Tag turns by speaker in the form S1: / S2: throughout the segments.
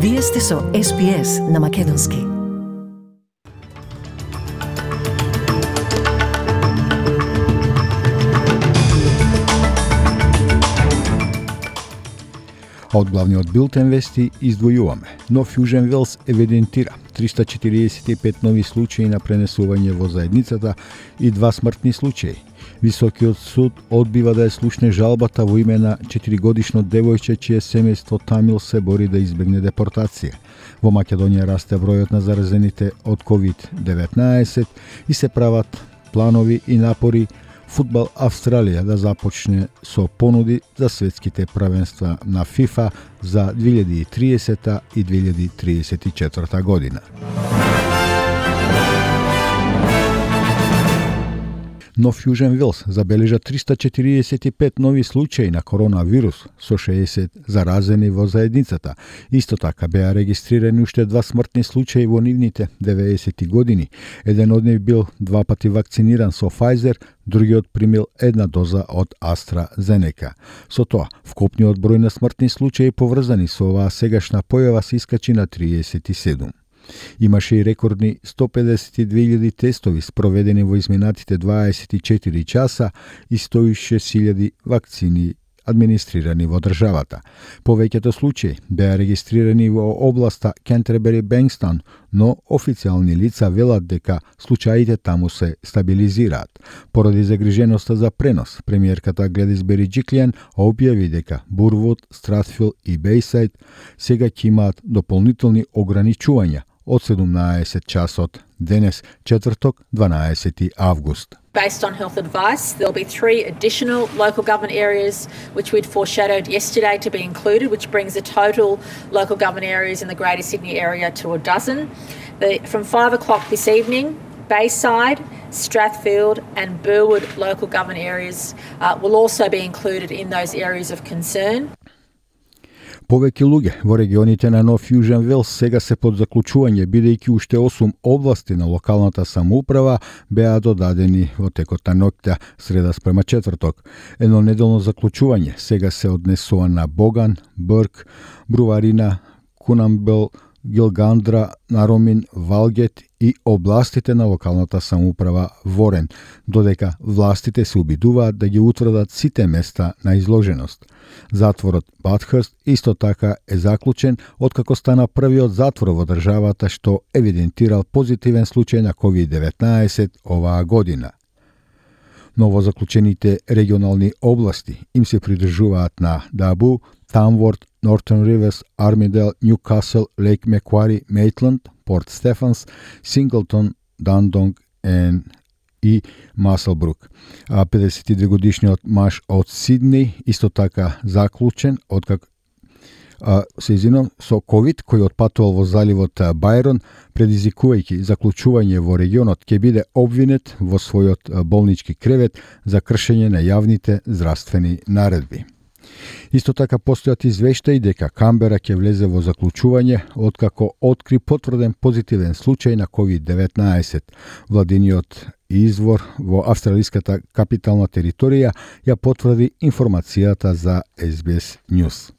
S1: Вие сте со SPS на Македонски.
S2: Од главниот билтен вести издвојуваме. Нов Јужен Велс евидентира 345 нови случаи на пренесување во заедницата и 2 смртни случаи. Високиот суд одбива да ја слушне жалбата во име на 4-годишно девојче чие семејство Тамил се бори да избегне депортација. Во Македонија расте бројот на заразените од COVID-19 и се прават планови и напори Фудбал Австралија да започне со понуди за светските правенства на ФИФА за 2030 и 2034 година. Нов Јужен Велс забележа 345 нови случаи на коронавирус со 60 заразени во заедницата. Исто така беа регистрирани уште 2 смртни случаи во нивните 90 години. Еден од нив бил 2 пати вакциниран со Pfizer, другиот примил 1 доза од AstraZeneca. Со тоа, вкупниот број на смртни случаи поврзани со оваа сегашна појава се искачи на 37. Имаше и рекордни 152.000 тестови спроведени во изминатите 24 часа и 106.000 вакцини администрирани во државата. Повеќето случаи беа регистрирани во областа Кентербери-Бенкстон, но официјални лица велат дека случаите таму се стабилизираат. Поради загриженоста за пренос, премиерката Гледис Бериџиклијан објави дека Бурвуд, Стратфил и Бејсајд сега ќе имаат дополнителни ограничувања од 17 часот денес, четврток, 12 август.
S3: Based on health advice, there'll be 3 additional local government areas which we'd foreshadowed yesterday to be included, which brings the total local government areas in the Greater Sydney area to a dozen. From 5 o'clock this evening, Bayside, Strathfield and Burwood local government areas will also be included in those areas of concern.
S2: Повеќе луѓе во регионите на Нов Јужен Велс сега се под заклучување, бидејќи уште 8 области на локалната самоуправа беа додадени во текот на ноќта среда спрема четврток. Едно неделно заклучување сега се однесува на Боган, Брк, Бруварина, Кунамбел, Гилгандра, Наромин, Валгет и областите на локалната самоуправа Ворен, додека властите се обидуваат да ги утврдат сите места на изложеност. Затворот Батхърст исто така е заклучен откако стана првиот затвор во државата што евидентирал позитивен случај на COVID-19 оваа година. Новозаклучените регионални области им се придржуваат на Дабу, Тамворт, Northern Rivers, Armidale, Newcastle, Lake Macquarie, Maitland, Port Stephens, Singleton, Dundonk и Маселбрук. 52-годишниот маж од Сиднеј исто така заклучен откако со COVID, кој отпатувал во заливот Бајрон, предизвикувајќи заклучување во регионот, ќе биде обвинет во својот болнички кревет за кршење на јавните здравствени наредби. Исто така постојат извештаи дека Камбера ќе влезе во заклучување откако откри потврден позитивен случај на COVID-19. Владиниот извор во австралиската капитална територија ја потврди информацијата за SBS News.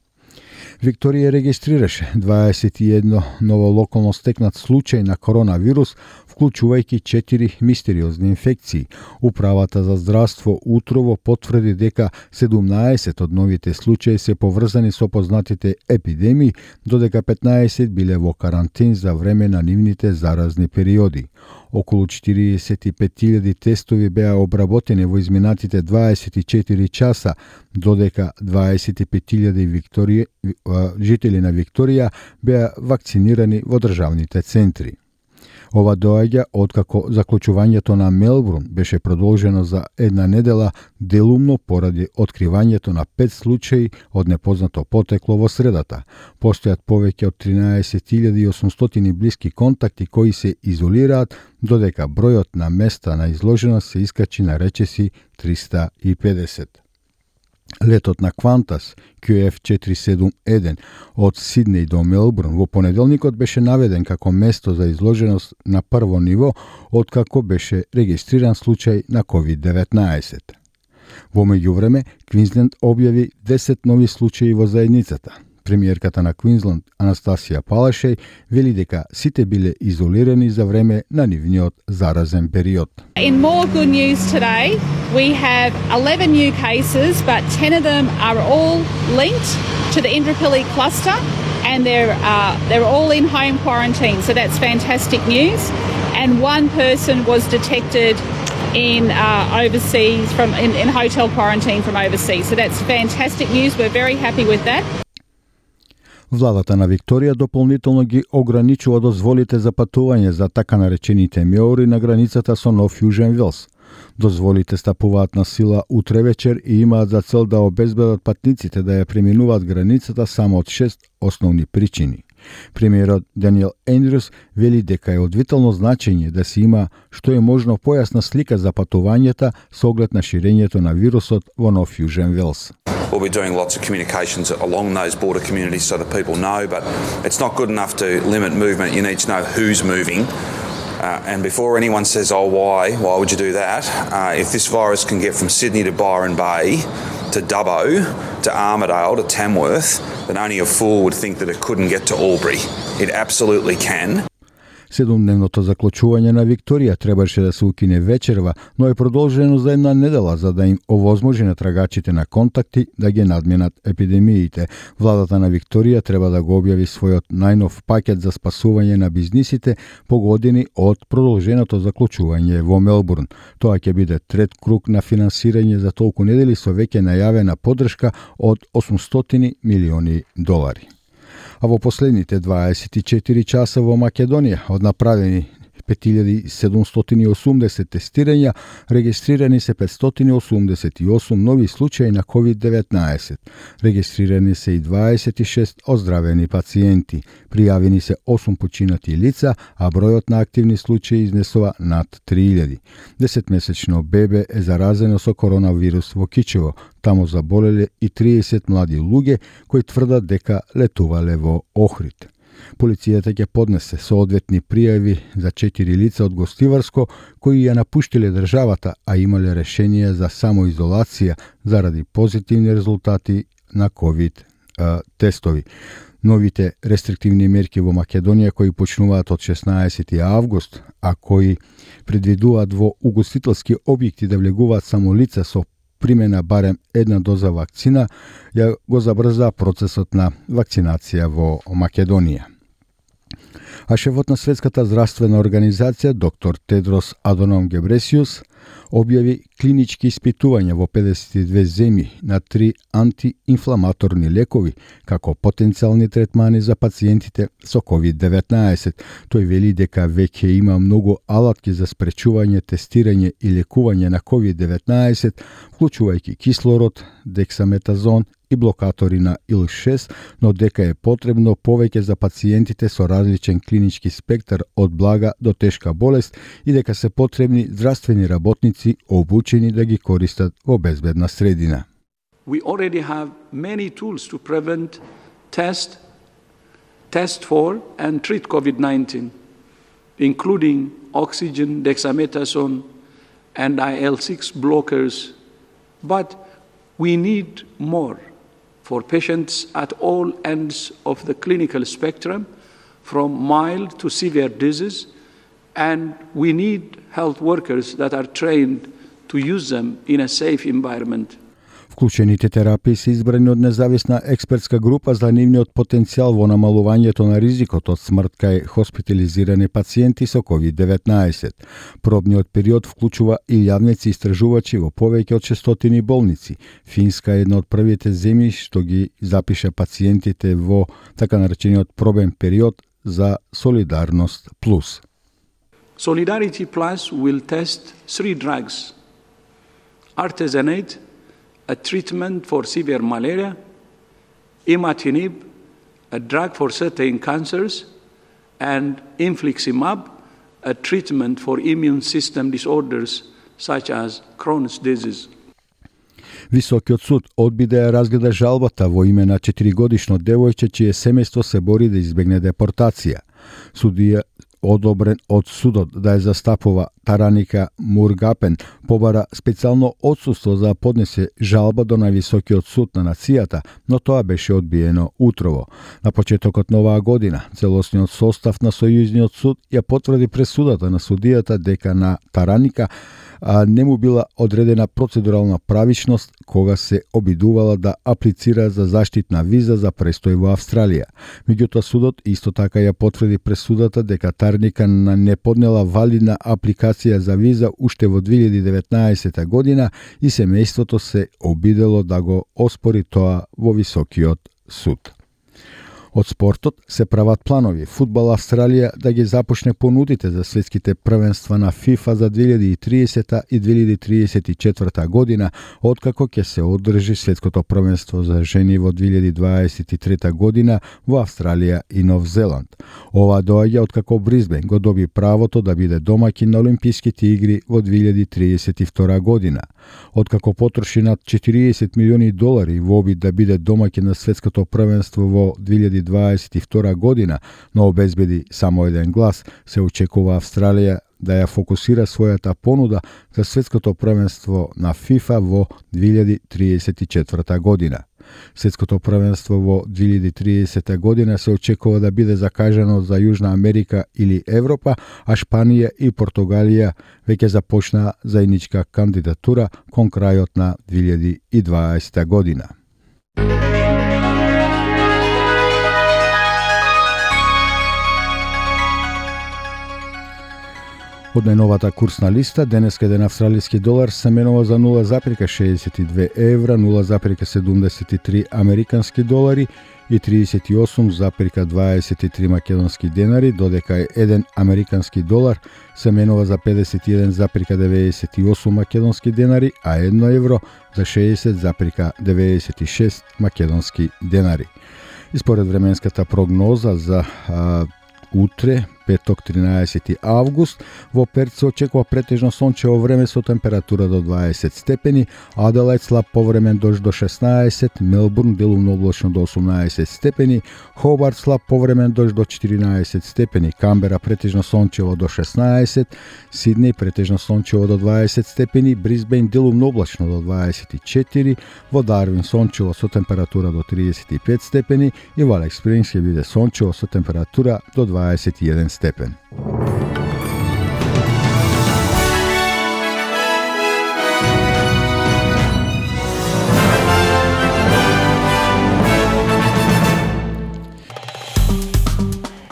S2: Викторија регистрираше 21 ново локално стекнат случај на коронавирус, вклучувајќи 4 мистериозни инфекции. Управата за здравство утрово потврди дека 17 од новите случаи се поврзани со познатите епидемии, додека 15 биле во карантин за време на нивните заразни периоди. Околу 45.000 тестови беа обработени во изминатите 24 часа, додека 25.000 жители на Викторија беа вакцинирани во државните центри. Ова доаѓа откако заклучувањето на Мелбурн беше продолжено за една недела, делумно поради откривањето на 5 случаи од непознато потекло во средата. Постојат повеќе од 13.800 блиски контакти кои се изолираат, додека бројот на места на изложеност се искачи на речиси 350. Летот на Qantas QF471 од Сиднеј до Мелбурн во понеделникот беше наведен како место за изложеност на прво ниво откако беше регистриран случај на COVID-19. Во меѓувреме, Квинсленд објави 10 нови случаи во заедницата. Премиерката на Квинсланд, Анастасија Палашеј, вели дека сите биле изолирани за време на нивниот заразен период.
S4: In more good news today, we have 11 new cases, but 10 of them are all linked to the Indooroopilly cluster, and they're all in home quarantine. So that's fantastic news. And one person was detected in overseas in hotel quarantine from overseas. So that's fantastic news. We're very happy with that.
S2: Владата на Викторија дополнително ги ограничува дозволите за патување за така наречените меори на границата со Нов Јужен Велс. Дозволите стапуваат на сила утре вечер и имаат за цел да обезбедат патниците да ја преминуваат границата само од 6 основни причини. Премиерот Даниел Ендрюс вели дека е од витално значење да се има што е можно појасна слика за патувањата со оглед на ширењето на вирусот во Нов Јужен Велс.
S5: We'll be doing lots of communications along those border communities so that people know, but it's not good enough to limit movement. You need to know who's moving. And before anyone says, oh, why would you do that? If this virus can get from Sydney to Byron Bay, to Dubbo, to Armidale, to Tamworth, then only a fool would think that it couldn't get to Albury. It absolutely can.
S2: 7-дневното заклучување на Викторија требаше да се укине вечерва, но е продолжено за една недела за да им овозможи на трагачите на контакти да ги надминат епидемиите. Владата на Викторија треба да го објави својот најнов пакет за спасување на бизнисите погодени од продолженото заклучување во Мелбурн. Тоа ќе биде трет круг на финансирање за толку недели со веќе најавена поддршка од $800 милиони. А во последните 24 часа во Македонија од направени 5780 тестирања, регистрирани се 588 нови случаи на COVID-19. Регистрирани се и 26 оздравени пациенти. Пријавени се 8 починати лица, а бројот на активни случаи изнесува над 3000. 10-месечно бебе е заразено со коронавирус во Кичево. Таму заболеле и 30 млади луѓе кои тврдат дека летувале во Охрид. Полицијата ќе поднесе соодветни пријави за 4 лица од Гостиварско кои ја напуштиле државата, а имале решение за самоизолација заради позитивни резултати на COVID тестови. Новите рестриктивни мерки во Македонија кои почнуваат од 16 август, а кои предвидуваат во угостителски објекти да влегуваат само лица со примена барем една доза вакцина, ја го забрза процесот на вакцинација во Македонија. А шефот на Светската здравствена организација, доктор Тедрос Адоном Гебресиус, објави клинички испитувања во 52 земји на 3 антиинфламаторни лекови како потенцијални третмани за пациентите со COVID-19. Тој вели дека веќе има многу алатки за спречување, тестирање и лекување на COVID-19, вклучувајќи кислород, дексаметазон и блокатори на ИЛ-6, но дека е потребно повеќе за пациентите со различен клинички спектар од блага до тешка болест и дека се потребни здравствени работници обучени да ги користат во безбедна средина.
S6: We already have many tools to prevent, test for and treat COVID-19, including oxygen, dexamethasone and IL-6 blockers. But we need more for patients at all ends of the clinical spectrum, from mild to severe disease, and we need health workers that are trained to use them in a safe environment.
S2: Вклучените терапии се избрани од независна експертска група за нивниот потенцијал во намалувањето на ризикот од смрт кај хоспитализирани пациенти со COVID-19. Пробниот период вклучува и јавници истражувачи во повеќе од 600 болници. Финска е една од првите земји што ги запиша пациентите во така наречениот пробен период за Солидарност Плюс.
S6: Solidarity Plus will test 3 drugs: artesunate, a treatment for severe malaria; imatinib, a drug for certain cancers; and infliximab, a treatment for immune system disorders such as Crohn's disease.
S2: Високиот суд одби да ја разгледа жалбата во име на 4-годишно девојче чие семејство се бори да избегне депортација. Судија одобрен од судот да ја застапува Тараника Мургапен, побара специјално отсуство за да поднесе жалба до највисокиот суд на нацијата, но тоа беше одбиено утрово. На почетокот на оваа година, целосниот состав на Сојузниот суд ја потврди пресудата на судијата дека на Тараника не му била одредена процедурална правичност кога се обидувала да аплицира за заштитна виза за престој во Австралија. Меѓутоа судот исто така ја потврди пресудата дека Тараника не поднела валидна апликација за виза уште во 2019 година и семејството се обидело да го оспори тоа во високиот суд. Од спортот се прават планови фудбал Австралија да ги започне понудите за светските првенства на ФИФА за 2030 и 2034 година, откако ќе се одржи светското првенство за жени во 2023 година во Австралија и Нов Зеланд. Ова доаѓа откако Брисбен го доби правото да биде домаќин на Олимписките игри во 2032 година. Откако потроши над 40 милиони долари во обид да биде домаќин на светското првенство во 2022 година, но обезбеди само еден глас, се очекува Австралија да ја фокусира својата понуда за светското првенство на ФИФА во 2034 година. Светското првенство во 2030 година се очекува да биде закажано за Јужна Америка или Европа, а Шпанија и Португалија веќе започна заедничка кандидатура кон крајот на 2020 година. Од најновата курсна листа, денеска еден австралиски долар се менува за 0,62 евра, 0,73 американски долари и 38,23 македонски денари, додека еден американски долар се менува за 51,98 македонски денари, а 1 евро за 60,96 македонски денари. И според временската прогноза за утре, петок 13 август, во Перт се очекува претежно сончево време со температура до 20 степени, Аделајд слаб повремен дожд до 16, Мелбурн делумно облачно до 18 степени, Хобарт слаб повремен дожд до 14 степени, Камбера претежно сончево до 16, Сиднеј претежно сончево до 20 степени, Брисбејн делумно облачно до 24, во Дарвин сончево со температура до 35 степени и во Алекс Спрингс ќе биде сончево со температура до 21 степен.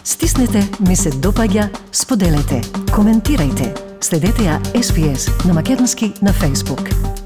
S1: Стиснете, ми се допаѓа, споделете, коментирајте. Следете ја SPS на Македонски на Facebook.